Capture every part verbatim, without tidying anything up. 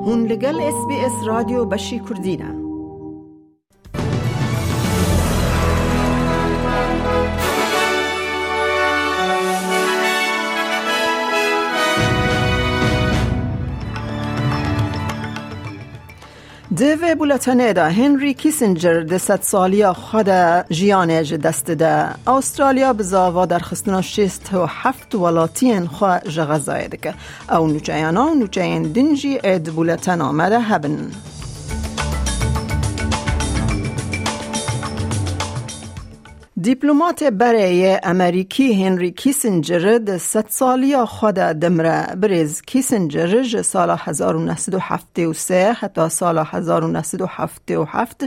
Hûn li gel S B S Radyo Beşî Kurdî ne. Di vê buletenê de Henry Kissinger di sedsaliya xwe de jiyanê ji dest dide. Awustralya bi zava derxistina şêst û heft welatiyên xwe ji Xezayê dike. Ew nûçeyana û nûçeyên din jî ê di buletena me de hebin. Dîplomatê berê yê Amerîkî Henry Kissinger di sedsaliya xwe de dimire. Birêz Kissinger ji sala hezar û neh sed û heftê û sê heta sala hezar û neh sed û heftê û heft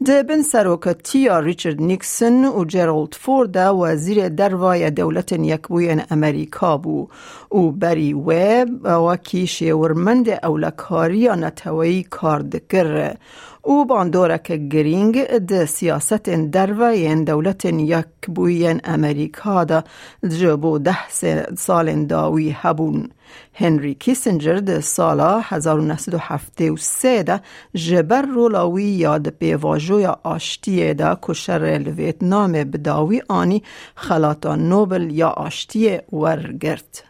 di bin seroketiya Richard Nixon û Gerald Ford de wezîrê derva yê Dewletên Yekbûyên Amerîka bû û berî wê wekî şêwirmendê ewlekariya neteweyî kar dikir û bandoreke girîng di siyasetên derve yên Dewletên Yekbûyî yên Amerîka de ji bo deh se-, salên dawî hebûn. Henry Kissinger di sala hezar û neh sed û heftê û sê de ji ber rola wî ya di pêvajoya aştiyê de ku şerê li Vêtnamê bi dawî anî, xelata Nobel ya aştiyê wergirt.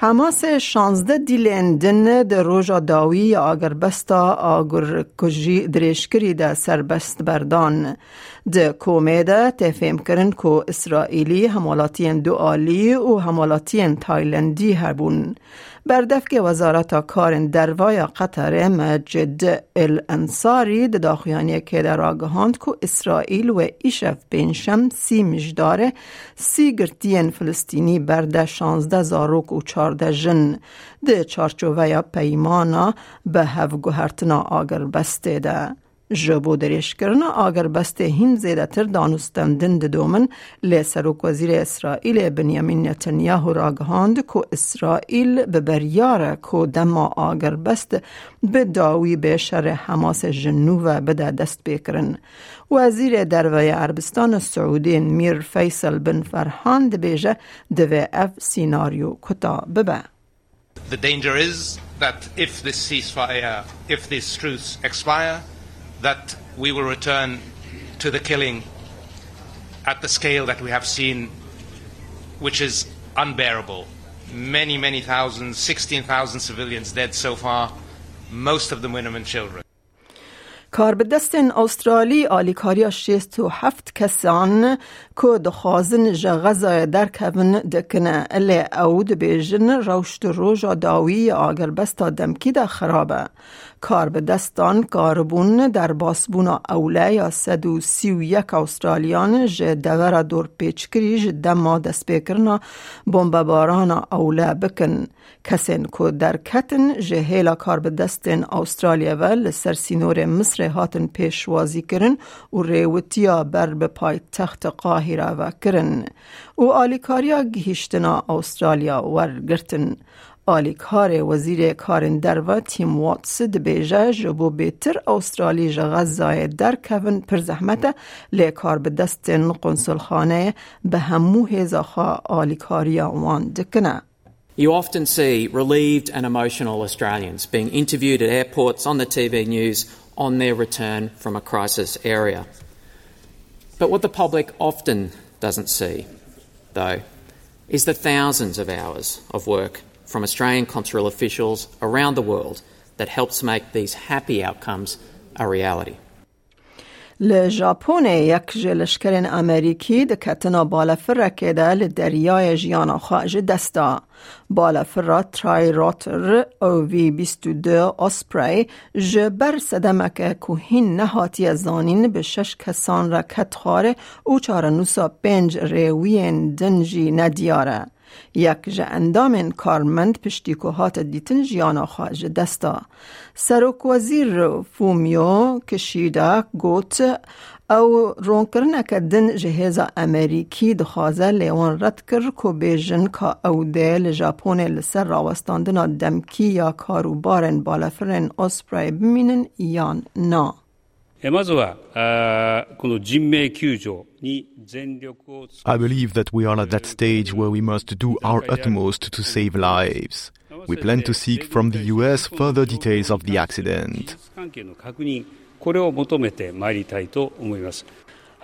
Hemasê şazdeh dîlên din di roja dawî ya agirbesta agirkujî dirêjkirî de serbest berdan. Di komê de tê fêmkirin ku Îsraîlî, hemwelatiyên dualî û hemwelatiyên Taylandî hebûn. Berdevkê Wezareta Karên Derve ya Qeterê Mecid El Ensarî di daxuyaniyekê de ragihand ku Îsraîl wê îşev pêncşem sî mijdarê sî girtiyên Filistînî berde şazdeh zarok û çardeh jin di çarçoveya peymana bi hevguhertina agirbestê de. Ji bo dirêjkirina agirbestê hîn zêdetir danûstendin didomin, lê Serokwezîrê Îsraîlê Binyamîn Netanyahu ragihand ku Îsraîl bi biryar e ku dema agirbest bi dawî bê şerê Hemasê ji nû ve bide destpêkirin. Wezîrê Derve yê Erebistana Siûdî Mîr Feysel bin Ferhan dibêje, divê ev sînaryo kuta bibe. The danger is that if this ceasefire, if these truce expire, that we will return to the killing at the scale that we have seen, which is unbearable. Many, many thousands, sixteen thousand civilians dead so far, most of them women and children. Karbidestên Awustralî alîkariya şêst û heft kesan ku dixwazin ji Xezayê derkevin dikine, lê ew dibêjin rewş di roja dawî ya agirbesta demkî de xirab e. Karbidestan karibûn derbasbûna ewle ya sed û sî û yek Awustraliyan ji devera dorpêçkirî ji dema destpêkirina bombebarana ewle bikin. Kesên ku derketin ji hêla karbidestên Awustralya ve li ser sînorê Misrê hatin pêşwazîkirin û rêwitiya ber bi paytexta Qahîra ve kirin û alîkariya gihîştina Awustralya wergirtin. Alîkarê Wezîrê Karên Derve Tim Watts dibêje, ji bo bêtir Awustralî ji Xezayê derkevin pir zehmet e, lê karbidestên qunsulxaneyê bi hemû hêza xwe alîkariya wan dikine. You often see relieved and emotional Australians being interviewed at airports, on the T V news, on their return from a crisis area. But what the public often doesn't see, though, is the thousands of hours of work from Australian consular officials around the world that helps make these happy outcomes a reality. Li Japonê yek ji leşkerên Amerîkî di ketina balefirekê de li deryayê jiyana xwe ji dest da. Balefira Tri-Rotor O V bîst û du Osprey ji ber sedemeke ku hîn nehatiye zanîn bi şeş kesan re ket xwarê û çarenûsa pênc rêwiyên din jî nediyar e. Yek ji endamên karmend piştî ku hate dîtin jiyana xwe ji dest da. Serokwezîr Fumio Kishida got, ew ronkirineke din ji hêza Amerîkî dixwaze, lê wan red kir ku bêjin ka ew dê li Japonê li ser rawestandina demkî ya karûbarên balefirên Osprey bimînin yan na. えまずは、あーこの人命救助に全力を尽くす。 I believe that we are at that stage where we must do our utmost to save lives. We plan to seek from the U S further details of the accident. これを求めてまいりたいと思います。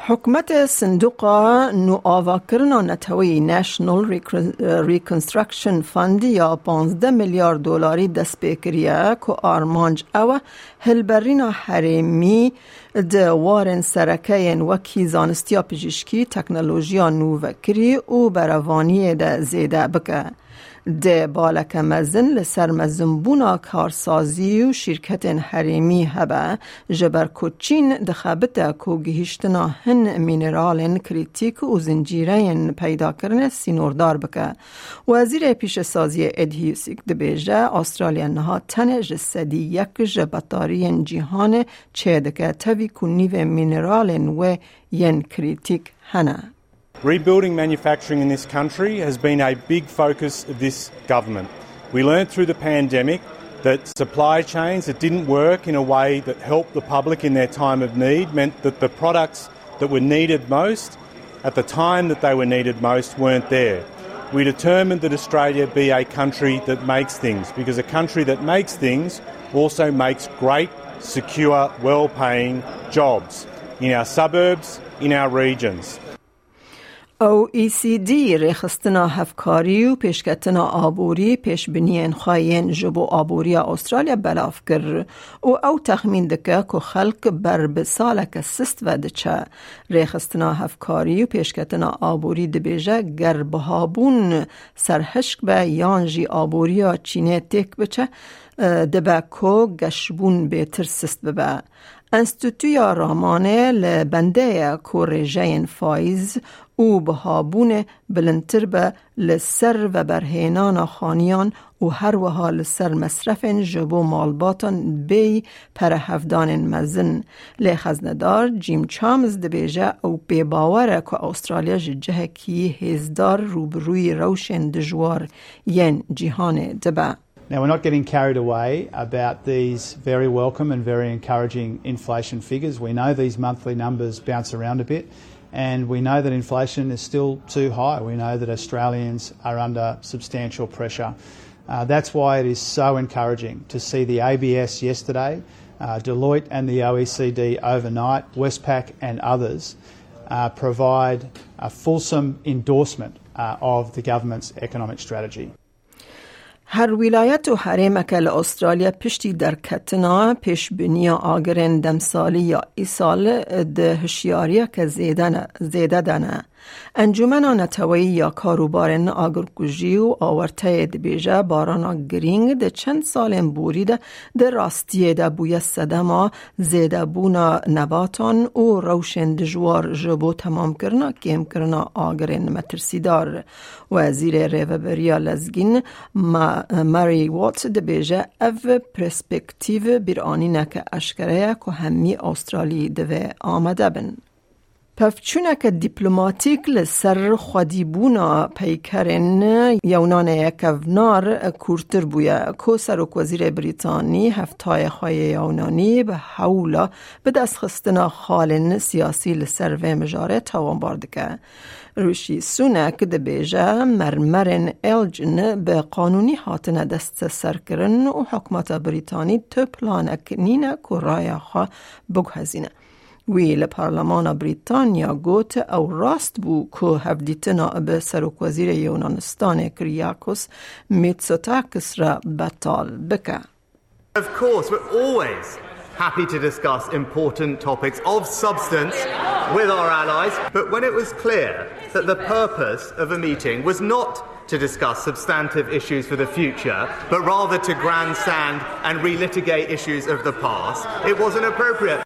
Hikûmetê sindoqa nûavakirina neteweyî National Recon-, Reconstruction Fund ya panzdeh milyar dolarî dest pê kiriye ku armanc ew e hilberîna herêmî di warên sereke yên wekî zanistiya pijîşkî, teknolojiya nûvekirî û berevaniyê de zêde bike. Di baleke mezin li ser mezinbûna karsazî û şîrketên herêmî hebe, ji ber ku Çîn dixebite ku gihîştina hin mîneralên krîtîk û zincîreyên peydakirinê sînordar bike. Wezîrê Pîşesaziyê Ed Husic dibêje, Astralya niha tenê ji sedî yek ji betariyên cîhanê çêdike, tevî ku nîvê mîneralên wê yên krîtîk hene. Rebuilding manufacturing in this country has been a big focus of this government. We learned through the pandemic that supply chains that didn't work in a way that helped the public in their time of need meant that the products that were needed most at the time that they were needed most weren't there. We determined that Australia be a country that makes things, because a country that makes things also makes great, secure, well-paying jobs in our suburbs, in our regions. O E C D rêxistina hevkarî û pêşketina aborî pêşbiniyên xwe yên ji bo aboriya Astralya belav kir û ew texmîn dike ku xelk ber bi saleke sist ve diçe. Rêxistina hevkarî û pêşketina aborî dibêje, ger bihabûn serhişk be yan jî aboriya Çînê têk biçe, e, dibe ku geşbûn bêtir sist bibe. Enstîtuya Ramanê li bendê ye ku rêjeyên faîz û bihabûnê bilindtir be li ser veberhênana xaniyan û her wiha li ser mesrefên ji bo malbatan bêyî perehevdanên mezin. Lê xeznedar Jim Chalmers dibêje, ew pê bawer e ku Astralya ji cihekî hêzdar rûbirûyî rewşên dijwar yên cîhanê dibe. Now, we're not getting carried away about these very welcome and very encouraging inflation figures. We know these monthly numbers bounce around a bit, and we know that inflation is still too high. We know that Australians are under substantial pressure. Uh, that's why it is so encouraging to see the A B S yesterday, uh, Deloitte and the O E C D overnight, Westpac and others, uh, provide a fulsome endorsement, uh, of the government's economic strategy. Her wîlayet û herêmeke li Astralya piştî derketina pêşbiniya agirên demsalî ya îsal di hişyariyeke zêde ne, zêde de ne. Encûmena Neteweyî ya Karûbarên Agirkujî û Awerteyê dibêje, barana girîng di çend salên borî de di rastiyê de bûye sedema zêdebûna nebatan û rewşên dijwar ji bo temamkirina kêmkirina agirên metirsîdar. Wezîrê Rêveberiya Lezgîn Ma-, Murray Watt dibêje, ev perspektîv bîranîneke eşkere ye ku hemî Astralî divê amade bin. Pevçûneke dîplomatîk li ser xwedîbûna peykerên Yewnanê ye kevnar kûrtir bûye, ku Serokwezîrê Brîtanî heftayê xwe yê Yewnanî bi hewla bi destxistina xalên siyasî li ser vê mijarê tawanbar dike. Rishi Sunak dibêje, mermerên Elgin bi qanûnî hatine desteserkirin û hikûmeta Brîtanî tu planek nîne ku raya xwe biguhezîne. Wî li Parlemana Brîtanya got, ew rast bû ku hevdîtina bi Serokwezîrê Yunanistanê Kyriakos Mitsotakis re betal bike. Of course, we're always happy to discuss important topics of substance with our allies, but when it was clear that the purpose of a meeting was not to discuss substantive issues for the future, but rather to grandstand and relitigate issues of the past, it wasn't appropriate.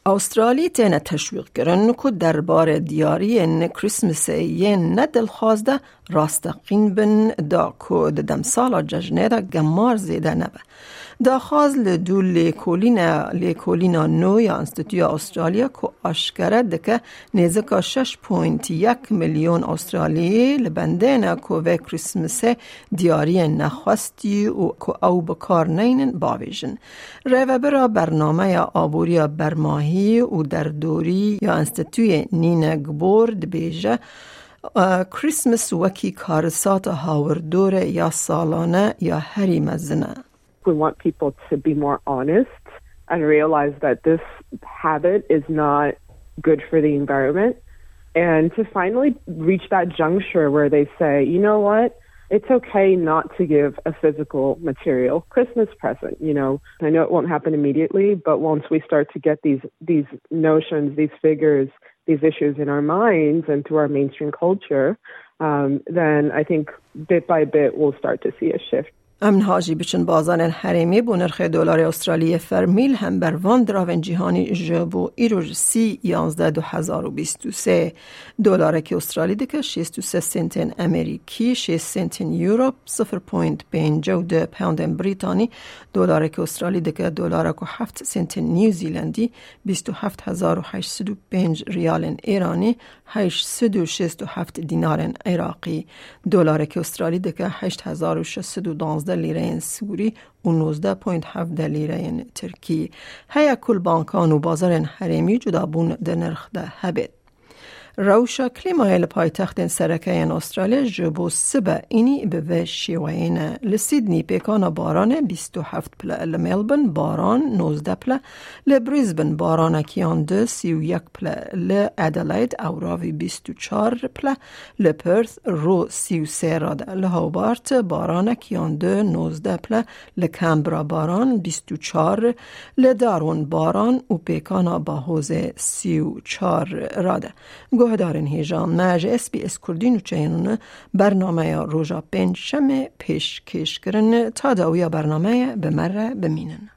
Australî têne teşwîqkirin ku derbarê diyariyên Christmasê yên ne dilxwaz de rasteqîn bin, da ku di demsala cejnê de gemar zêde nebe. Daxwaz li dû lêkolîne, lêkolîna nû ya Enstîtuya Australya ku aşkere dike nêzika şeş point yek milyon Australî li bendê ne ku vê Christmasê diyariyên nexwestî û ku ew bi kar neynin bavêjin. Rêvebira Bernameya Aboriya Bermahî û Derdorî ya Enstîtuyê Nîne Gbor dibêje, Christmas wekî karisata hawirdor e ya salane ya herî mezin e. We want people to be more honest and realize that this habit is not good for the environment, and to finally reach that juncture where they say, "You know what? It's okay not to give a physical material Christmas present." You know, I know it won't happen immediately, but once we start to get these, these notions, these figures, these issues in our minds and through our mainstream culture, um, then I think bit by bit we'll start to see a shift. Em niha jî biçin bazarên herêmê bo nirxê dolarê Australiyê fermî li hember van diravên cîhanî ji bo îro ji sî yanzdeh du hezar û bîst û sê. Dolarekî Australî dike şêst û sê sentên Amerîkî, şêst sentên Euro, sifir point pênc û du poundên Brîtanî. Dolarekî Australî dike dolarek û heft sentên New Zealandî, bîst û heft hezar û heşt sed û pênc riyalên Êranî, heşt sed û şêst û heft dînarên Iraqî. Dolarekî Australî dike heşt hezar û şeş sed û duwazdeh lîreyên Sûrî û nozdeh point hevdeh lîreyên Tirkî. Heye ku li bankan û bazarên herêmî cudabûn di nirx de hebêt. Rewşa klîmayê li paytextên sereke yên Australya ji bo sibe înî bi vê şêweyê ne. Li Sydney pêkana baranê bîst û heft pile, li Melbourne baran nozdeh pile, li Brisbane baranekî yan du sî û yek pile, li Adelaide ewravî bîst û çar pile, li Perth ro sî û sê rade, li Hobart baranek yan du nozdeh pile, li Canberra baran bîst û çar, li Darwin baran û pêkana bahozê sî û çar rade. Guhdarên hêja me ji S B S Kurdî nûçeyên bername ya roja pêncşemê pêşkêş kirin. Ta dawiya bernameyê bi me re bimînin.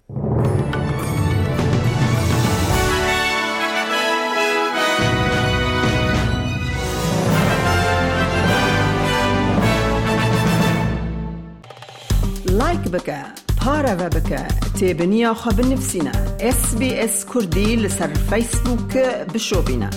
Like bike, pareve bike, têbiniya xwe binivîsîne. S B S Kurdî li ser Facebook bişopîne.